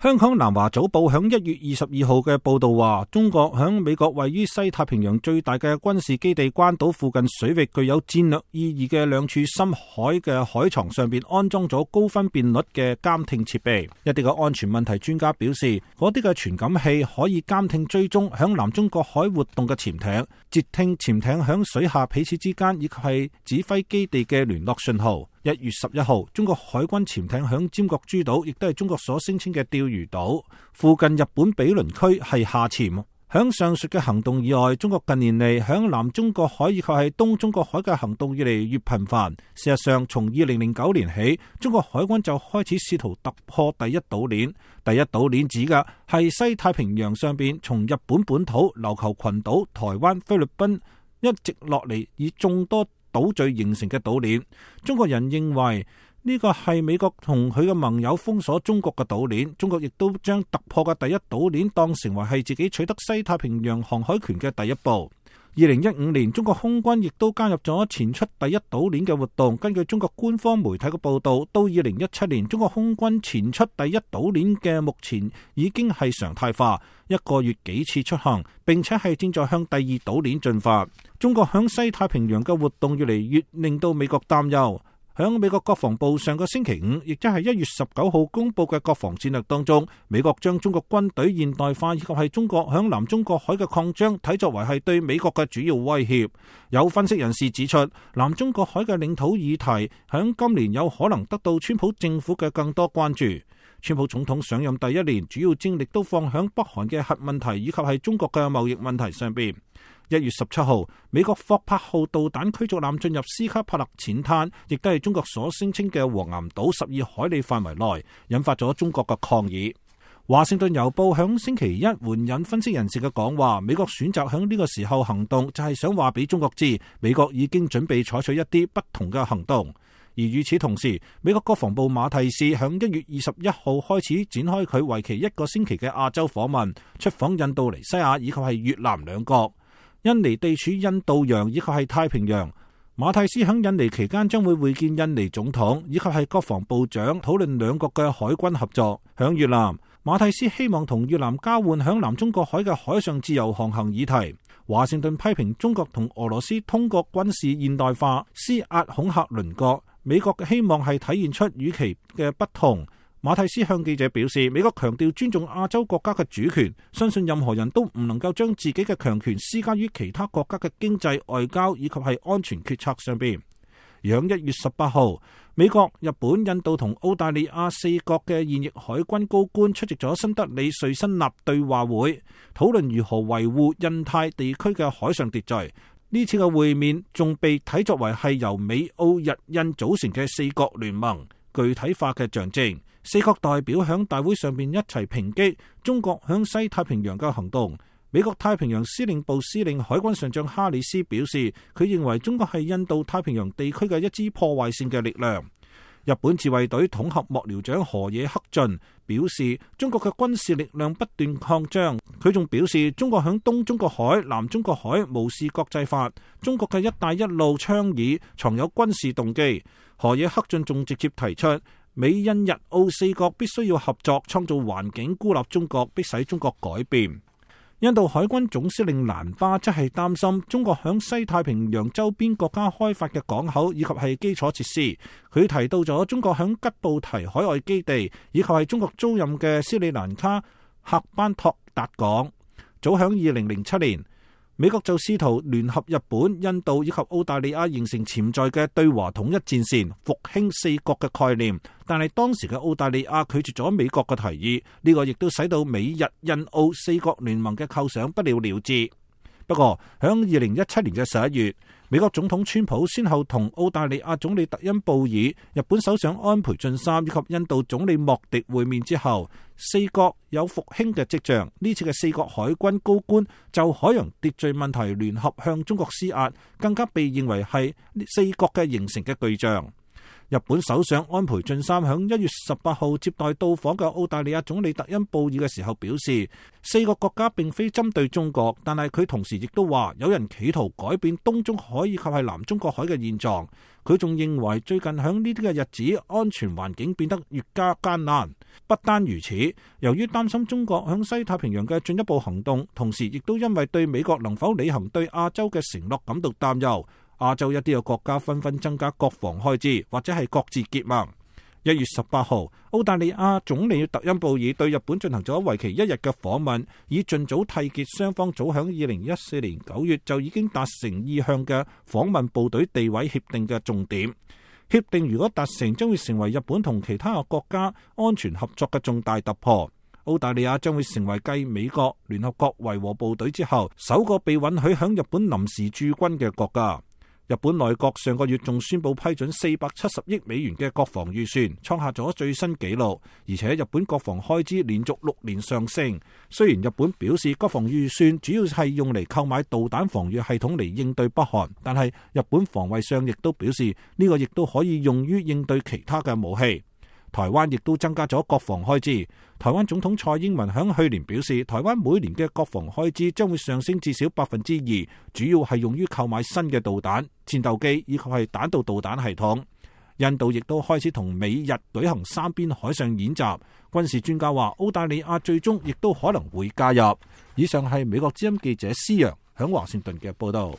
香港南華早報響1月22號嘅報道話，中國響美國位於西太平洋最大嘅軍事基地關島附近水域具有戰略意義嘅兩處深海嘅海床上邊安裝咗高分辨率嘅監聽設備。一啲嘅安全問題專家表示，嗰啲嘅傳感器可以監聽追蹤響南中國海活動嘅潛艇，截聽潛艇響水下彼此之間以及係指揮基地嘅聯絡信號。1月11號，中國海軍潛艇響尖閣諸島，亦都係中國所聲稱嘅釣魚島附近日本毗鄰區係下潛。響上述嘅行動以外，中國近年嚟響南中國海以及係東中國海嘅行動越嚟越頻繁。事實上，從2009年起，中國海軍就開始試圖突破第一島鏈。第一島鏈指嘅係西太平洋上邊從日本本土、琉球群島、台灣、菲律賓一直落嚟以眾多島嶼形成嘅島鏈。中國人認為呢個係美國同佢嘅盟友封鎖中國嘅島鏈，中國亦都將突破嘅第一島鏈當成為係自己取得西太平洋航海權嘅第一步。2015年，中國空軍亦都加入咗前出第一島鏈嘅活動。根據中國官方媒體嘅報道，到2017年，中國空軍前出第一島鏈嘅目前已經係常態化，一個月幾次出行，並且係正在向第二島鏈進發。中國響西太平洋嘅活動越嚟越令到美國擔憂。響美國國防部上個星期5，亦即係1月19號公布嘅國防戰略當中，美國將中國軍隊現代化以及係中國響南中國海嘅擴張睇作為係對美國嘅主要威脅。有分析人士指出，南中國海嘅領土議題響今年有可能得到川普政府嘅更多關注。川普總統上任第一年，主要精力都放響北韓嘅核問題以及係中國嘅貿易問題上邊。1月17號，美國霍柏號導彈驅逐艦進入斯卡帕勒淺灘，亦都係中國所聲稱嘅黃岩島12海里範圍內，引發咗中國嘅抗議。華盛頓郵報響星期一援引分析人士嘅講話，美國選擇響呢個時候行動，就係想話俾中國知，美國已經準備採取一啲不同嘅行動。而與此同時，美國國防部馬蒂斯響1月21號開始展開佢為期1個星期嘅亞洲訪問，出訪印度尼西亞以及係越南兩國。印尼地處印度洋以及係太平洋，馬蒂斯響印尼期間將會會見印尼總統以及係國防部長，討論兩國嘅海軍合作。響越南，馬蒂斯希望同越南交換響南中國海嘅海上自由航行議題。華盛頓批評中國同俄羅斯通過軍事現代化施壓恐嚇鄰國，美國嘅希望係體現出與其嘅不同。馬蒂斯向記者表示，美國強調尊重亞洲國家嘅主權，相信任何人都唔能夠將自己嘅強權施加於其他國家嘅經濟、外交以及係安全決策上邊。而響1月18號，美國、日本、印度同澳大利亞4國嘅現役海軍高官出席咗新德里瑞辛納對話會，討論如何維護印太地區嘅海上秩序。呢次嘅會面仲被睇作為係由美、澳、日、印組成嘅4國聯盟具體化嘅象徵。4國代表響大會上面一齊抨擊中國響西太平洋嘅行動。美國太平洋司令部司令海軍上將哈里斯表示，佢認為中國係印度太平洋地區嘅一支破壞性嘅力量。日本自衛隊統合幕僚長河野克俊表示，中國嘅軍事力量不斷擴張。佢仲表示，中國響東中國海、南中國海無視國際法，中國嘅一帶一路倡議藏有軍事動機。河野克俊仲直接提出，美印日澳4國必須要合作，創造環境，孤立中國，迫使中國改變。印度海軍總司令蘭巴則係擔心中國響西太平洋周邊國家開發嘅港口以及係基礎設施。佢提到咗中國響吉布提海外基地以及係中國租賃嘅斯里蘭卡喀班托達港。早響2007年，美國就試圖聯合日本、印度以及澳大利亞形成潛在嘅對華統一戰線，復興4國嘅概念。但係當時嘅澳大利亞拒絕咗美國嘅提議，呢個亦都使到美日印澳4國聯盟嘅構想不了了之。不過響2017年嘅11月，美國總統川普先後同澳大利亞總理特恩布爾、日本首相安倍晉三以及印度總理莫迪會面之後，4國有復興嘅跡象。呢次嘅4國海軍高官就海洋秩序問題聯合向中國施壓，更加被認為係4國嘅形成嘅巨象。日本首相安倍晉三響1月18號接待到訪嘅澳大利亞總理特恩布爾嘅時候表示，4個國家並非針對中國，但係佢同時亦都話有人企圖改變東中海以及係南中國海嘅現狀。佢仲認為最近響呢啲嘅日子，安全環境變得越加艱難。不單如此，由於擔心中國響西太平洋嘅進一步行動，同時亦都因為對美國能否履行對亞洲嘅承諾感到擔憂。亞洲一啲嘅國家紛紛增加國防開支，或者係各自結盟。1月18號，澳大利亞總理特恩布爾對日本進行咗為期1日嘅訪問，以盡早締結雙方早響2014年9月就已經達成意向嘅訪問部隊地位協定嘅重點。協定如果達成，將會成為日本同其他嘅國家安全合作嘅重大突破。澳大利亞將會成為繼美國、聯合國維和部隊之後，首個被允許響日本臨時駐軍嘅國家。日本內閣上個月仲宣布批准470億美元嘅國防預算，創下咗最新紀錄。而且日本國防開支連續6年上升。雖然日本表示國防預算主要係用嚟購買導彈防禦系統嚟應對北韓，但係日本防衛相亦都表示呢個亦都可以用於應對其他嘅武器。台灣亦都增加咗國防開支。台灣總統蔡英文響去年表示，台灣每年嘅國防開支將會上升至少2%，主要係用於購買新嘅導彈、戰鬥機以及係彈道導彈系統。印度亦都開始同美日舉行3邊海上演習。軍事專家話，澳大利亞最終亦都可能會加入。以上係美國之音記者施洋響華盛頓嘅報道。